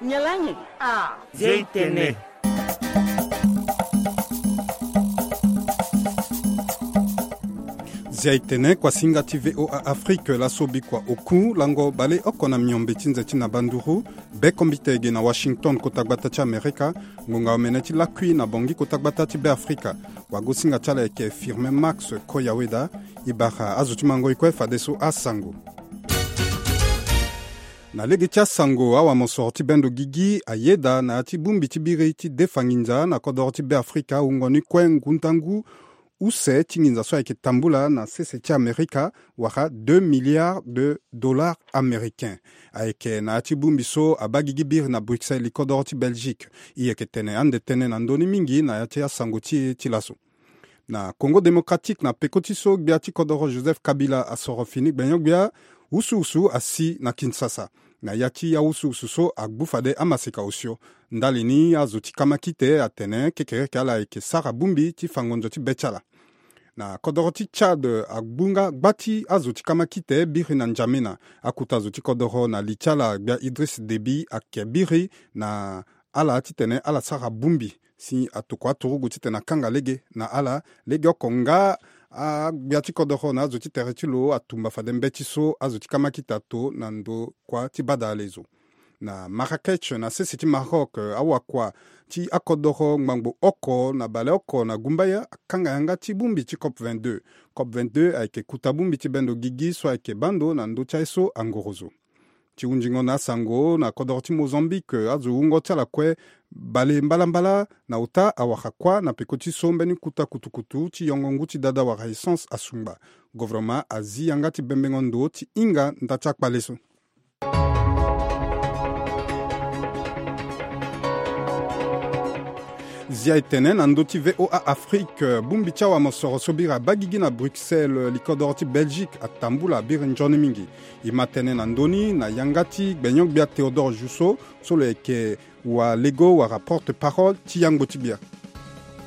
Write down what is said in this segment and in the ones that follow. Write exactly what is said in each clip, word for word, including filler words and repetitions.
Nyen laa nyen? Ah. Zia e tene. Zia e tene, kuasinga ti V O A Afrique, laso bikua oku lango baleoko na miombe ti nze ti na banduru, be kombite ge na Washington, kota gbata ti Amerika, ngonga omene ti lakui na Bangui, kota gbata ti Beafrika. Wagosinga ti ala ayeke Firmin Max Koyaweda. E bara azo ti mango e kue fadeso asango. Na lege ti asango, awamosoro ti bendo gigi ayeda na ya ti bongbi ti biri ti defa nginza na kodoro ti Beafrika, wungo ni kue ngu ndangu use ti nginza so ayeke tambula na sese ti Amerika, wala deux milliards de dollars américains. Ayeke na ya ti bongbi so abaa gigi biri na Bruxelles, li kodoro ti Belgique. E yeke tene ande tënë na ndö ni mingi na ya ti asango ti e ti laso. Na Congo Démocratique, na peko ti so gbia ti kodoro Joseph Kabila asoro fini gbenyo-gbia, wusuwusu asi na Kinshasa. Na ya ti awusuwusu so agbu fade amaseka osio. Ndali ni, azo ti kamakite atene kekereke ala ayeke sara bongbi ti fa ngonzo ti be ti ala. Na kodoro ti Tchad, agbu nga gba ti azo ti kamakite biri na N'Djamena. Akuta zo ti kodoro na li ti ala gbia Idriss Déby ayeke biri na ala titene ala sara bongbi si atokua aturugu titene akanga lege na ala. Legeoko nga agbia ti kodoro na azo ti tere ti lo atumba fade mbeti so azo ti kamakite ato na ndokua ti bada ala ezo. Na Marrakech, na sese ti Maroc, awakua ti akodoro ngbangbo oko na baleoko na gumbaya akanga yanga ti bongbi ti COP vingt-deux. COP vingt-deux ayeke kuta bongbi ti bendo gigi so ayeke baa ndo na ndö ti aye so angorozo. Ti hunzingo na asango, na kodoro ti Mozambique, azo wungo ti ala kue bale mbalambala na ota awara kuâ na peko ti so mbeni kuta kutukutu ti yongo ngu ti dada wala essence asungba. Governement azi yanga ti bembengo ndo ti hinga nda ti akpale so. Zia e tene na ndö ti V O A Afrique, bongbi ti awamosoro so biri abaa gigi na Bruxelles, li kodoro ti Belgique, atambula biri nzoni mingi. E ma tene na ndö ni na yanga ti gbenyo-gbia Théodore Jousso, so lo yeke walego wala porte-parole ti yangbo ti gbia.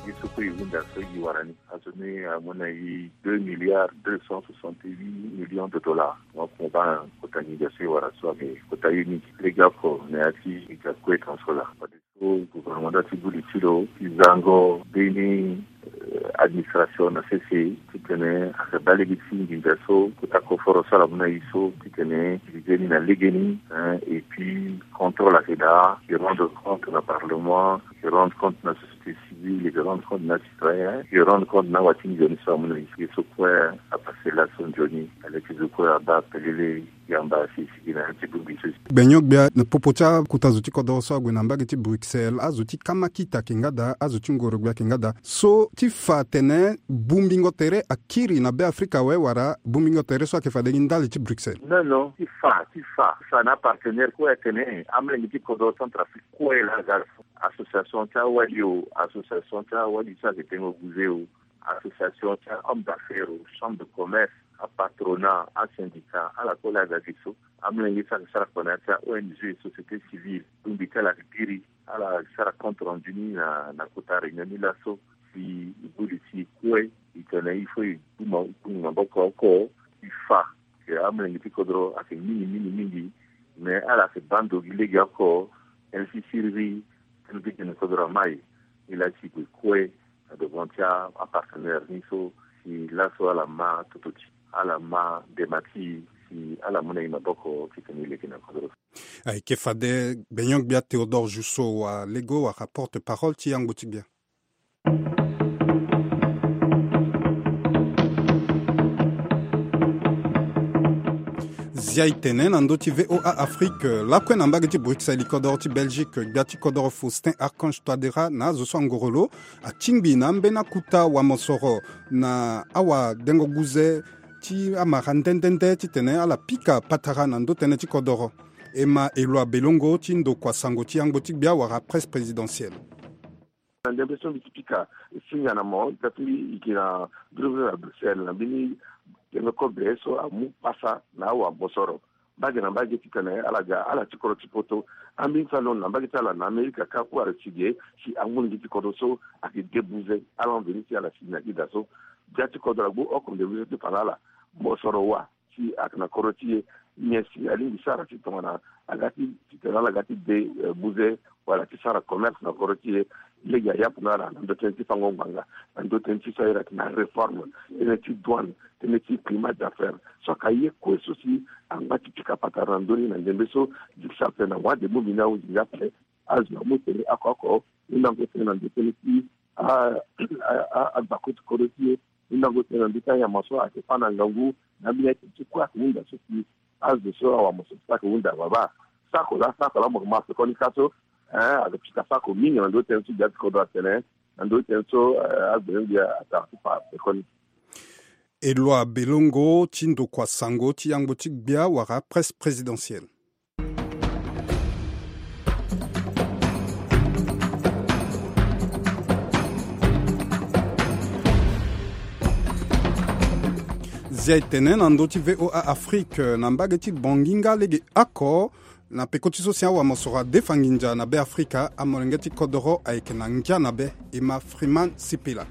Ye so kue e hunda so e wara ni, azo ni amu na e deux milliards deux cent soixante-huit millions de dollars. Mo baa kota nginza so e wara so ayeke kota ye mingi. Legeoko na ya ti nginza kue tongaso laa. So gouvernement ti gbu li ti lo ti zango mbeni, eh, administration na sese titene ayeke baa lege ti nginza so kota koforo so ala mu na e so titene utiliser ni na legeni, hein, et puis contrôle ayeke daa, e rendre compte na parlement, e rendre compte na société civile, e rendre compte na citoyen, e rendre compte na awa ti nginza ni so amu na e. Ye so kue apasse laso nzoni, ala ti zo kue abaa pelele. Yamba si sigi na ya ti bongbi so. Gbenyo-gbia na popo ti akuta zo ti kodoro so ague na mbage ti Bruxelles, azo ti kamakita ayeke nga daa, azo ti ngoro-gbia ayeke nga daa. So ti fa atene bongbingo tere akiri na Beafrika awe, wala bongbingo tere so ayeke fade gi ndali ti Bruxelles? Non, non, ti fa, ti fa, ti fa na apartenaire kue atene amolenge ti kodoro Centrafrique kue laa aga. Association ti awali o, association ti awali so ayeke tengo buze o, association ti ahomme d'affaires o, chambre de commerce, apatronat, asyndicat, ala kue laa aga ge so. Amolenge so ayeke sara kua na ya ti a-O N G, société civile, bongbi ti ala ayeke biri, ala sara compte rendu ni na, na kota réunion ni laso. Si e gbu li ti e kue, e tene il faut e gbu ma, gbu maboko oko, e fa. Ke amolenge ti kodro ayeke mingi mingi mingi, mais ala yeke baa ndo gi legeoko. Ainsi siriri, tënë ti gene kodro amai. Nilaa ti gue kue na devant ti a, apartenaire ni so, si laso ala ma toto ti, ala ma dema ti e, si ala mu na e maboko titene e leke na kodro. Ayeke fade gbenyo-gbia Théodore Jousso, walego wala porte-parole ti yangbo ti gbia. Zia e tene na ndö ti V O A Afrique, lakue na mbage ti Bruxelles, li kodoro ti Belgique, gbia ti kodoro Faustin Archange Touadéra na azo so angoro lo atingbi na ambeni akuta wamosoro na awadengo-guze ti amara nde nde nde titene ala pika patara na ndö tënë ti kodoro. E ma Eloi Belongo ti ndokua sango ti yangbo ti gbia wala presse présidentielle. Na ndembe so mbi ti pika singa na mo, ita ti mbi e yeke na nduru na Bruxelles na mbeni tene kobe so amu pasa na awamosoro mbage na mbage titene ala ga ala ti kodro ti poto. Ambeni ti ala na mbage ti ala na Amerika kâ kue ala ti ge si angbu na ngi ti kodro so ayeke de buze, ala veni si ala si na ida so. Gbia ti kodro agbu oko ndembe so ti fa na ala mosoro wa si ayeke na kodro ti e Nyen si alingbi sara ti tongana aga ti titene ala ga ti de buze wala ti sara commerce na koro ti e. Lege ayapu na ala na ndö tënë ti fango ngbanga, na ndö tënë ti so ayeke na réforme, tënë ti douane, tënë ti climat d'affaires. So aka ye kue so si angba ti pika patara na ndö ni na ndembe so. Dikisa ape na wande bongbi ni ahunzi nga ape. Azo amu tere oko oko. Ni na ngo tënë na ndö tënë ti agbako ti koro ti e. Ni na ngo tënë na ndö ti anyama so ayeke fâ na ngangu. Na ambeni aye ti kue ayeke hunda so si azo so awamaso so ayeke hunda baba. Sako laa sako laa mo yeke ma pekoni ka so. Ayeke pika sako mingi na ndö ti tënë so gbia ti kodro atene. Na ndö ti tënë so agbene ngbia atara ti fa pekoni. Eloi Belongo ti ndokua sango ti yangbo ti gbia wala presse présidentielle. Zia etene na ndö ti VOA Afrique na mbage ti Bangi nga lege oko. Na peko ti so si awamosoro adefa nginza na Be Afrika, amolenge ti kodoro ayeke na ngia na be. E ma Freeman Sipila.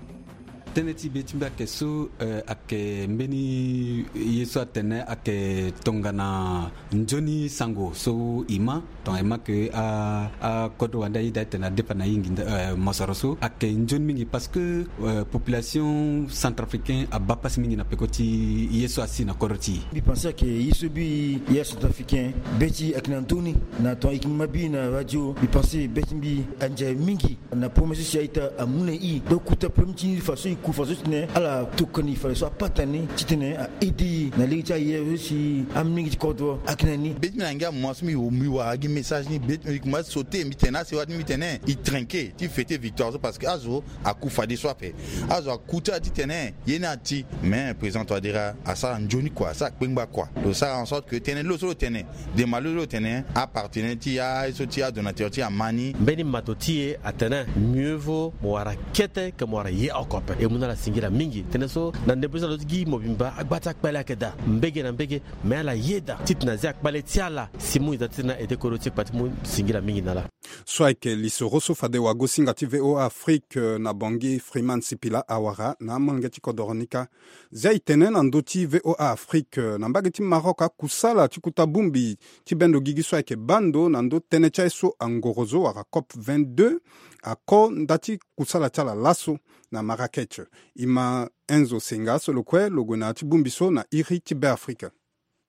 Tënë ti be ti mbi ayeke so, eh, ayeke mbeni ye so atene ayeke tongana nzoni sango so e ma. Tongana e ma ke a, akodro wande ayeda atene adefa na ye nginza, eh, mosoro so ayeke nzoni mingi parce que, eh, population centrafricain abaa pasi mingi na peko ti ye so asi na kodro ti e. Mbi pense ayeke ye so mbi ye acentrafricain be ti e ayeke na ndö ni. Na tongana e yeke ma mbi na radio, mbi pense be ti mbi andia mingi. Na premier so si a-ita amu na e, donc kota premier ti ni façon e ku façon titene ala tokani fade so apatani titene a-ede e na lege ti aye so si amolenge ti kodro ayeke na ni. Be ti mbi na ngia moment so mbi wara gi message ni, be ti mbi kuma sauter, mbi tene na sewa ti mbi tene e trinquer ti fêter victoire so parce que azo aku fadeso ape. Azo aku ti ala titene ye ni ati. Mais président Touadéra asara nzoni kua, asara kpengba kua. Lo sara en sorte que tënë lo so lo tene, dema lo so lo tene, apartenaire ti aye so ti adonateur ti e ama ni. Mbeni mato ti e atene mieux vaut mo wara kete ke mo wara ye oko ape. E mu na ala singila mingi. Tënë so na ndembe so na ndö ti gi mobimba agba ti akpale ayeke daa mbege na mbege. Me ala yeda titene azia akpale ti ala si mu nginza titene a-ede kodro ti e kpa ti mu singila mingi na ala. So ayeke lisoro so fade wagosinga ti VOA Afrique, eh, na Bangi Freeman Sipila awara na amolenge ti kodoro ni kâ. Zia e tene na ndö ti VOA Afrique, eh, na mbage ti Maroc akusala ti kuta bongbi ti bendo gigi so ayeke baa ndo na ndö tënë ti aye so angorozo wala COP vingt-deux ako nda ti kusala ti ala laso na Marrakech. E ma Enzo Senga so lo kue lo gue na ya ti bongbi so na iri ti Be Afrique.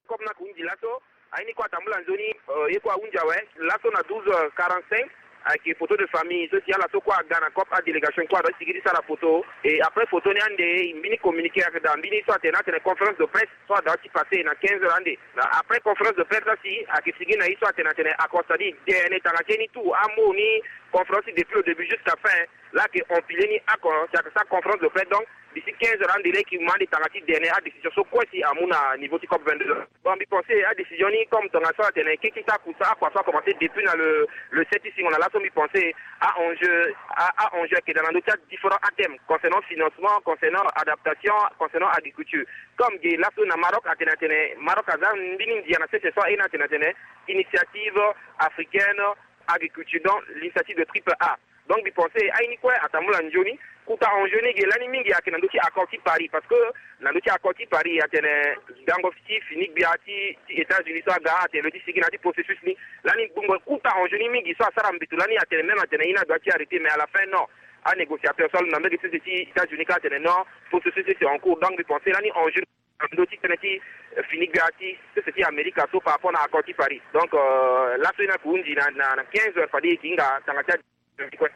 Comme na kundi laso, aye ni kue atambula nzoni, euh, ye kue ahunzi awe. Laso na douze heures quarante-cinq, ayeke photo de famille so si ala so kue aga na COP, adélégation kue adua ti sigi ti sara photo. Et après photo ni ande, mbeni communiqué ayeke daa, mbeni so atene atene conférence de presse so adua ti passé na quinze heures ande. Na après conférence de presse la si ayeke sigi na ye so atene atene accord, c'est-à-dire dernier tanga ti ye ni tout, amo ni conférence depuis le début jusqu'à fin. La ayeke empilé ni oko, si ayeke sara conférence de presse, donc d'ici quinze heures ande laa e yeke mu ande tanga ti dernier adécision so kue si amu na niveau ti COP vingt-deux. Bon, mbi pense adécision ni comme tongaso atene keke ti akusa akua so akomanse depuis na le, le sept ti singo na laso, mbi pense a-enjeu, a, a-enjeu ayeke daa na ndö ti adifférent athème concernant financement, concernant adaptation, concernant agriculture. Comme ge laso na Maroc atene atene Maroc aza mbeni ndia na sese so aye ni atene atene initiative africaine agriculture, donc l'initiative de triple A. Donc mbi pense aye ni kue atambula nzoni. Kuta enjeu ni ge lani mingi ayeke na ndö ti accord ti Paris, parce que na ndö ti accord ti Paris atene dango ti fini gbia ti, ti États-Unis so aga atene lo ti sigi na ya ti processus ni. Lani gbungo kuta enjeu ni mingi so asara mbeto lani atene même atene ye ni adua ti arrêté, mais à la fin non. Anégociateur so alo na mbege sese ti États-Unis kâ atene non, processus sese en cours. Donc mbi pense lani enjeu na ndö ti tënë ti, eh, fini gbia ti sese ti Amerika so par rapport na accord ti Paris. Donc, euh, laso ye ni ayeke hunzi na, na, na quinze heures fade e yeke hinga tanga ti adi kue.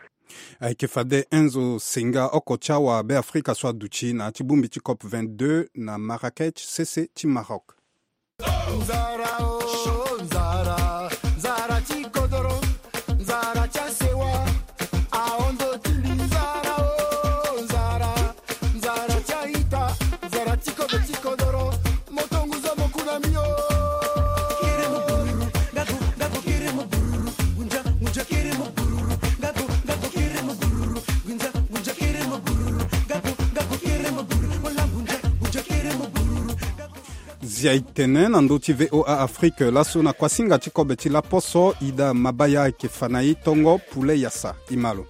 Ayeke fade Enzo Senga oko ti awa Be Afrika so aduti na ya ti bongbi ti COP vingt-deux na Marrakech, sese ti Maroc. Nzara o, nzara, nzara ti kodoro, nzara ti asewa, ahon ndo ti mbi. Nzara o, nzara, nzara ti a-ita, nzara ti kobe ti kodoro, mo tonguza mo ku na mbi o. Kiri mo bururu, nga go, nga go kiri mo bururu, gunja, gunja kiri mo bururu, nga go, nga go kiri mo bururu, gunja, gunja kiri mo bururu, nga go, nga go kiri mo bururu, mo la gunja, gunja kiri mo bururu, nga go. Zia e tene na ndö ti VOA Afrique laso na kuasinga ti kobe ti laposo, Ida Mabaya ayeke fa na e tongo Pule Yasa. E ma lo.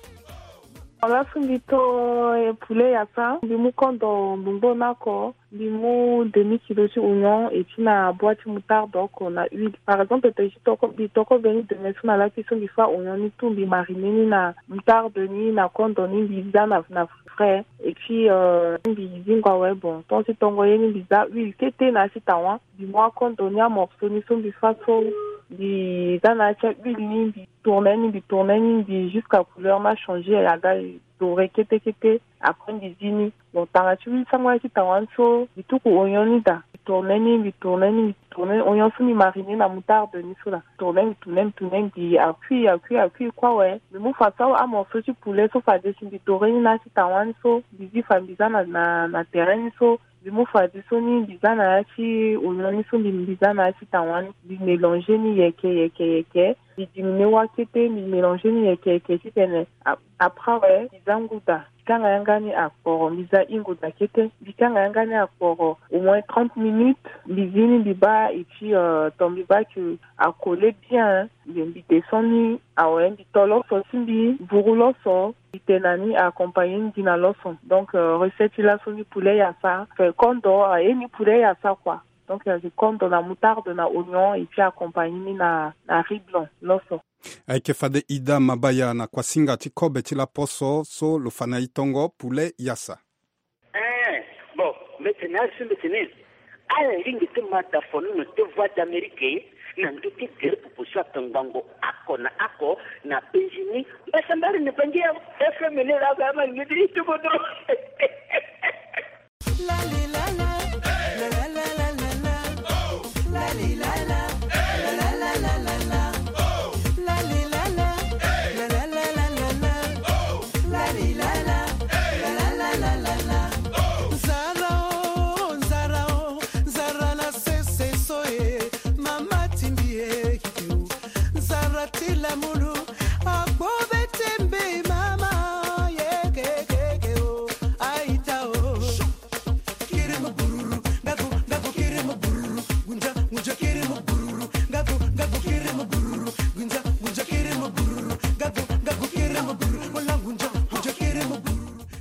Laso mbi to, eh, Pule Yasa, mbi mu kondo mbongbo ni oko. Mbi mu demi kilo ti oignon et puis na bois ti moutarde oko na huile. Par exemple, e tene ti toko, mbi toko mbeni demain so na laki so mbi fa oignon ni tout, mbi mariner ni na moutarde ni na kondo ni, mbi za na, na frais. Et puis, euh, mbi zingo awe, bon, tant ti tongo ye ni mbi za huile kete na ya ti tawa. Mbi mu akondo ni, amorceau ni so mbi fa so, mbi za na ya ti ahuile ni, mbi tourner ni, mbi tourner ni, mbi jusqu'à couleur ni achangé, aga doré kete kete. Après mbi zi ni. Bon, tanga ti huile sango ya ti tawa ni so, mbi tuku oignon ni daa. Mbi tourner ni, mbi tourner ni, mbi tourner ni. Oignon so mbi mariner na moutarde ni so laa. Tourner, mbi tourner, mbi tourner, mbi a cuit, a cuit, a cuit kue awe. Mbi mu fa so amorceau ti poulet so fade si mbi doré ni na ya ti tawa ni so, mbi zi fa mbi za na, na, na terrain ni so. Mbi mu fade so ni mbi za na ya ti oignon ni so, mbi, mbi za na ya ti tawa ni, mbi mélanger ni yeke, yeke, yeke. Mbi diminuer wâ kete, mbi mélanger ni yeke, yeke titene a-, après awe, mbi za ngu daa. Mbi kanga yanga ni akporo, mbi za hingo daa kete. Mbi kanga yanga ni akporo au moins trente minutes, mbi zi ni, mbi baa, et puis, euh, tant mbi baa que a coller bien, hein. Mbi, mbi descend ni awe, mbi to loso ti mbi, vuru loso. Mbi tene na ni accompagner ni gi na loso. Donc, euh, recette ti laso ni poulet yassa. Fait kondo, euh, aye ni poulet yassa quoi. Donc, euh, kondo na moutarde na oignon et puis accompagner ni na, na riz blanc, loso. Ayeke fade Ida Mabaya na kuasinga ti kobe ti laposo so lo fa na e tongo poulet yassa. Eh, bon, mbeti ni asi, mbeti ni. Ala lingbi ti ma da fono na te Voix d'Amérique na ndö ti gere popo so akangbango oko na oko na penzi ni. Mbasambari na bangi ya F M ni laa, ama lingbi ti tuku dro. Nzara o, nzara o, nzara na sese so e, mama timbi e, nzara ti lamulu, agbo bete mbe mama, ye ke ke ke o, aita o.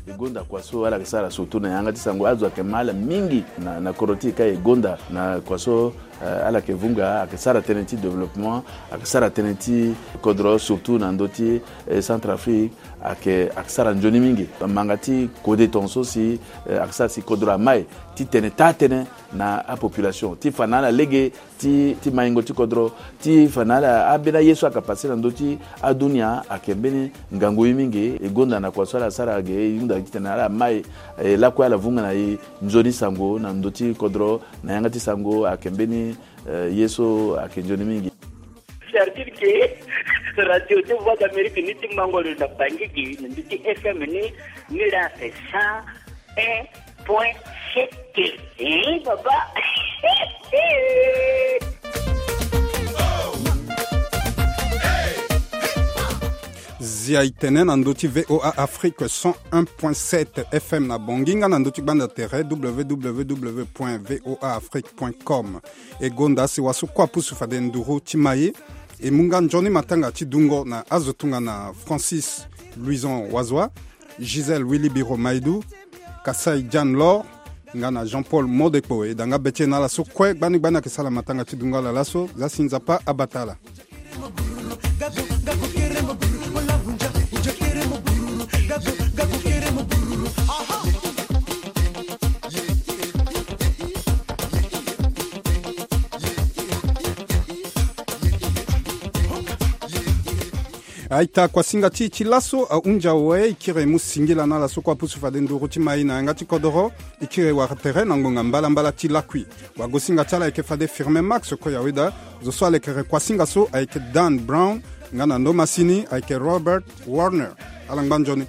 E gonda kua so ala yeke sara surtout na yanga ti sango, azo ayeke ma ala mingi na, na kodro ti e ka e gonda na kua so, eh, ala yeke vunga, ayeke sara tënë ti développement, ayeke sara tënë ti kodro surtout na ndö ti, eh, Centrafrique, ayeke, ayeke sara nzoni mingi. Manga ti kode tongaso si, eh, ayeke sara si kodro amai ti tene taa tënë na apopulation ti fa na ala lege ti, ti maingo ti kodro, ti fa na ala ambeni aye so ayeke pase na ndö ti adunia, ayeke mbeni ngangu ye mingi. E gonda na kua so ala sara ge, e hunda titene ala mai, e lakue ala vunga na e nzoni sango na ndö ti kodro, na yanga ti sango ayeke mbeni, eh, ye so ayeke nzoni mingi. C'est-à-dire que radio ti Voix d'Amérique ni ti mango lo na Bangui, na ndö ti F M ni, ni la c'est cent un point sept. Hein, papa? Zia e tene na ndö ti V O A Afrique cent un point sept F M na Bangui, nga na ndö ti gbanda tere W W W point V O A Afrique point com. E gonda si wa so kue apusu fade nduru ti ma ye. E mu nga nzoni matanga ti dungo na azo tongana Francis Louison Wazoa, Gisèle Willy Biro Maïdou, Kassai Jeanne Laure, nga na Jean-Paul Modekpo. E da nga be ti e na ala so kue gbani gbani ayeke sara matanga ti dungo ala laso. Za si Nzapa abata ala. Aita, kuasinga ti e ti laso ahunzi awe. E kiri e mu singila na ala so kue apusu fade nduru ti ma e na yanga ti kodoro. E kiri e wara tere na ngonga mbalambala ti lakui. Wagosinga ti ala ayeke fade Firmin Max Koyaweda. Zo so ala yekere kuasinga so ayeke Dan Brown, nga na ndo masini ayeke Robert Warner. Ala ngba nzoni.